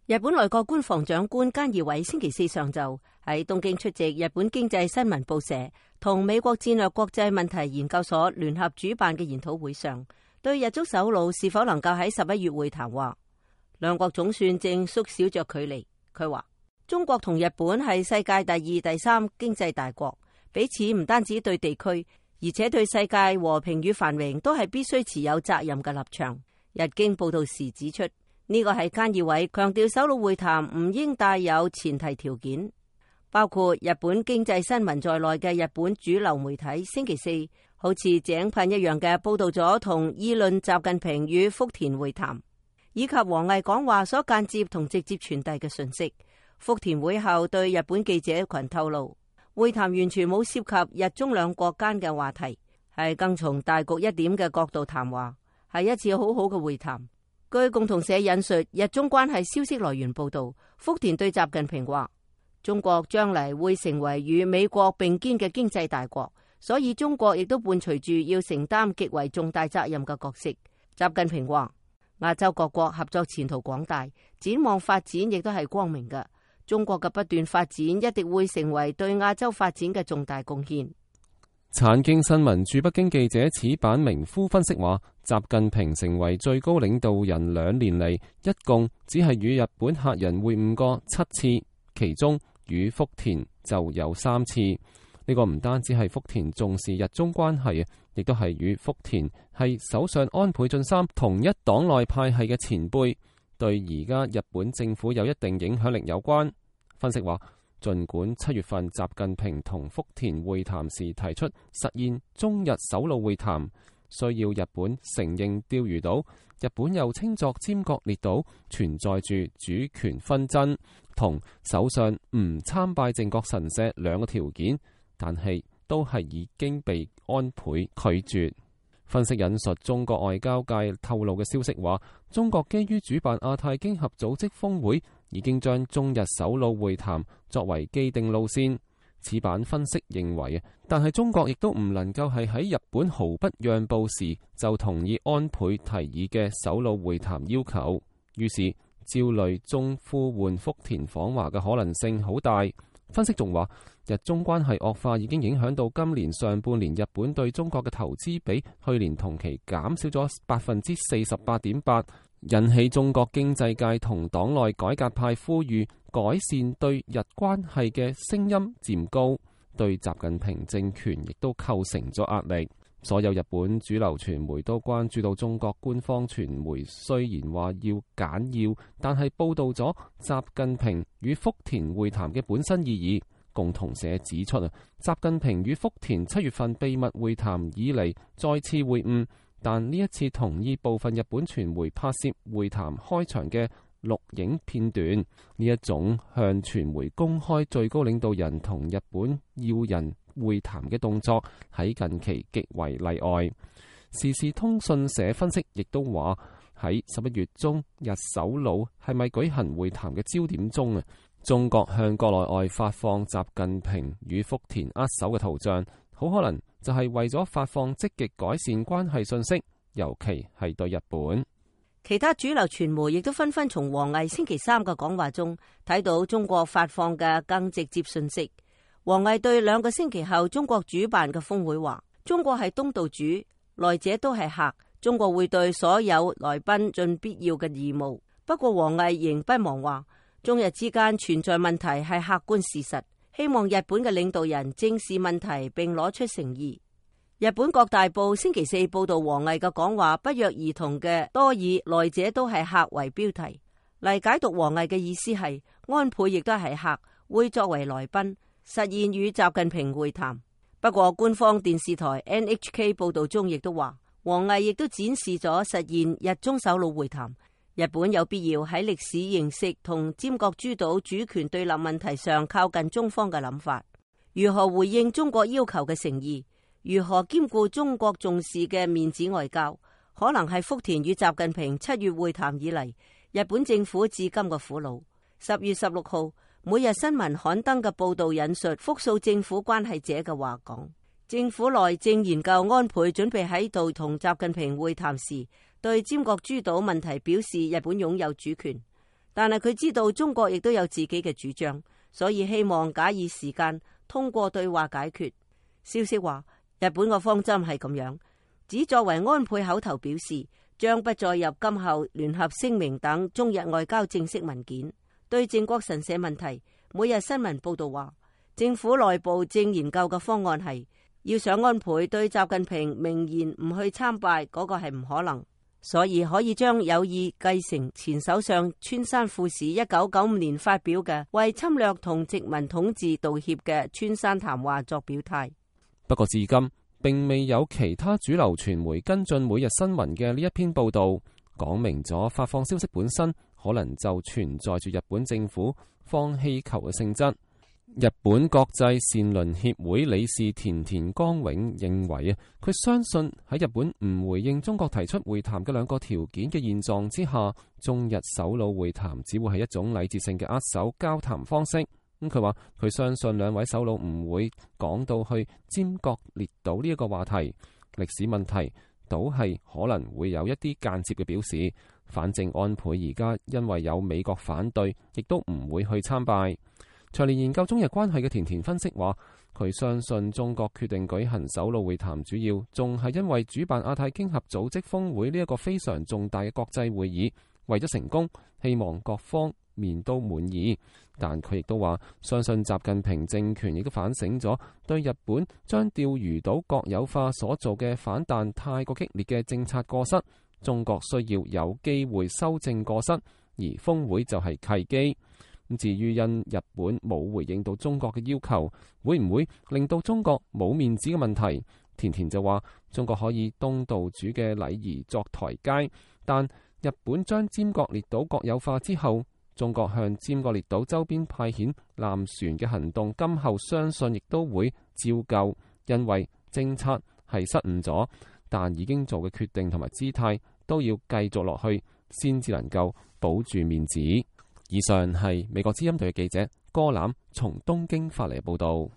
日本內閣官房長官菅義偉星期四上晝喺東京出席日本經濟新聞報社同美國戰略國際問題研究所聯合主辦嘅研討會上，對日中首腦是否能夠喺11月會談話，兩國總算正縮小着距離。佢話中國同日本係世界第二、第三經濟大國，彼此唔單止對地區，而且對世界和平與繁榮都係必須持有責任嘅立場。日經報道時指出，呢個係菅義偉強調首腦會談唔應帶有前提條件，包括日本經濟新聞在內嘅日本主流媒體星期四好似井噴一樣嘅報道咗同議論習近平與福田會談，以及王毅講話所間接同直接傳遞嘅訊息。福田會後對日本記者群透露，會談完全冇涉及日中兩國間嘅話題，係更從大局一點嘅角度談話，係一次好好嘅會談。據共同社引述日中關係消息來源報道，福田對習近平話，中國將嚟會成為與美國並肩嘅經濟大國，所以中國亦都伴隨住要承擔極為重大責任嘅角色。習近平話，亞洲各國合作前途廣大，展望發展亦都係光明嘅。中國嘅不斷發展一定會成為對亞洲發展嘅重大貢獻。產經新聞駐北京記者矢板明夫分析話，習近平成為最高領導人2年嚟，一共只係與日本客人會晤過7次，其中與福田就有3次。呢個唔單止係福田重視日中關係，亦都係與福田係首相安倍晉三同一黨內派系嘅前輩，對而家日本政府有一定影響力有關。分析話，儘管7月份習近平同福田會談時提出實現中日首腦會談，需要日本承認釣魚島，日本又稱作尖閣列島存在住主權紛爭，同首相唔參拜靖國神社2個條件，但係都係已經被安倍拒絕。分析引述中國外交界透露嘅消息話，中國基於主辦亞太經合組織峰會，已經將中日首腦會談作為既定路線。此版分析認為，但係中國亦都唔能夠係喺日本毫不讓步時就同意安倍提議嘅首腦會談要求，於是焦慮中呼喚福田訪華嘅可能性好大。分析仲話，日中關係惡化已經影響到今年上半年日本對中國嘅投資比去年同期減少咗48.8%，引起中國經濟界同黨內改革派呼籲改善對日關係嘅聲音漸高，對習近平政權亦都構成咗壓力。所有日本主流傳媒都關注到中國官方傳媒雖然話要簡要，但係報導咗習近平與福田會談嘅本身意義。共同社指出習近平與福田7月份秘密會談以嚟再次會晤，但呢一次同意部分日本傳媒拍攝會談開場嘅錄影片段，呢一種向傳媒公開最高領導人同日本要人會談嘅動作喺近期極為例外。時事通訊社分析亦都話，喺11月中日首腦係咪舉行會談嘅焦點中，中國向國內外發放習近平與福田握手嘅圖像，好可能就係為咗發放積極改善關係信息，尤其係對日本。其他主流傳媒亦都紛紛從王毅星期三嘅講話中睇到中國發放嘅更直接信息。王毅對2個星期後中國主辦嘅峰會話，中國係東道主，來者都係客，中國會對所有來賓盡必要嘅義務。不過王毅仍不忘話，中日之間存在問題係客觀事實，希望日本嘅領導人正視問題並攞出誠意。日本各大報星期四報道王毅嘅講話不約而同嘅多以來者都係客為標題嚟解讀王毅嘅意思係安倍亦都係客，會作為來賓實現與習近平會談。不過官方電視台 NHK 報道中亦都話，王毅亦都展示咗實現日中首腦會談，日本有必要喺歷史認識同尖閣諸島主權對立問題上靠近中方嘅諗法，如何回應中國要求嘅誠意，如何兼顧中國重視嘅面子外交，可能係福田與習近平7月會談以嚟日本政府至今嘅苦惱。10月16號每日新聞刊登嘅報道引述複數政府關係者嘅話講，政府內正研究安倍準備喺度同習近平會談時對尖閣諸島問題表示日本擁有主權。但係佢知道中國亦都有自己嘅主張，所以希望假以時間通過對話解決。消息話，日本嘅方針係咁樣，只作為安倍口頭表示，將不再入今後聯合聲明等中日外交正式文件。對靖國神社問題，每日新聞報道話，政府內部正研究嘅方案係要想安倍對習近平明言唔去參拜，嗰個係唔可能，所以可以將有意繼承前首相村山富市1995年發表嘅為侵略同殖民統治道歉嘅村山談話作表態。不過至今並未有其他主流傳媒跟進每日新聞嘅呢一篇報道，講明咗發放消息本身可能就存在住日本政府放氣球嘅性質。日本國際善鄰協會理事田田光永認為啊，佢相信喺日本唔回應中國提出會談嘅兩個條件嘅現狀之下，中日首腦會談只會係一種禮節性嘅握手交談方式。咁佢話佢相信兩位首腦唔會講到去尖閣列島呢一個話題，歷史問題倒係可能會有一啲間接嘅表示。反正安倍而家因為有美國反對，亦都唔會去參拜。長年研究中日關係嘅田田分析話，佢相信中國決定舉行首腦會談，主要仲係因為主辦亞太經合組織峰會呢一個非常重大嘅國際會議，為咗成功，希望各方面都滿意。但佢亦都話，相信習近平政權亦都反省咗對日本將釣魚島國有化所做嘅反彈太過激烈嘅政策過失，中國需要有機會修正過失，而峰會就係契機。至於因日本冇回應到中國嘅要求，會唔會令到中國冇面子嘅問題？田田就話，中國可以東道主嘅禮儀作台階，但日本將尖閣列島國有化之後，中國向尖閣列島周邊派遣艦船嘅行動，今後相信亦都會照舊，因為政策係失誤咗，但已經做嘅決定同埋姿態都要繼續落去，先至能夠保住面子。以上係美國之音隊嘅記者柯欖從東京發嚟報道。